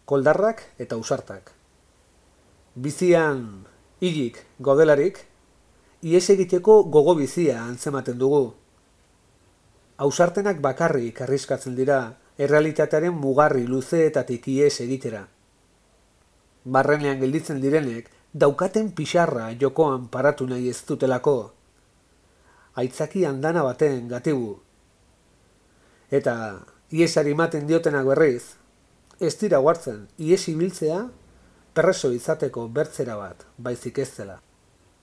koldarrak eta ausartak. Bizian hilik godelarik, ihes egiteko gogo bizia antzematen dugu. Ausartenak bakarrik arriskatzen dira, errealitatearen mugarri luzeetatik ihes egitera. Barrenean gelditzen direnek, daukaten pixarra jokoan paratu nahi ez dutelako. Aitzaki andana baten gatibu. Eta ihesari ematen diotenak berriz, ez dira guartzen, ihes ibiltzea perreso izateko bertzera bat, baizik ez dela.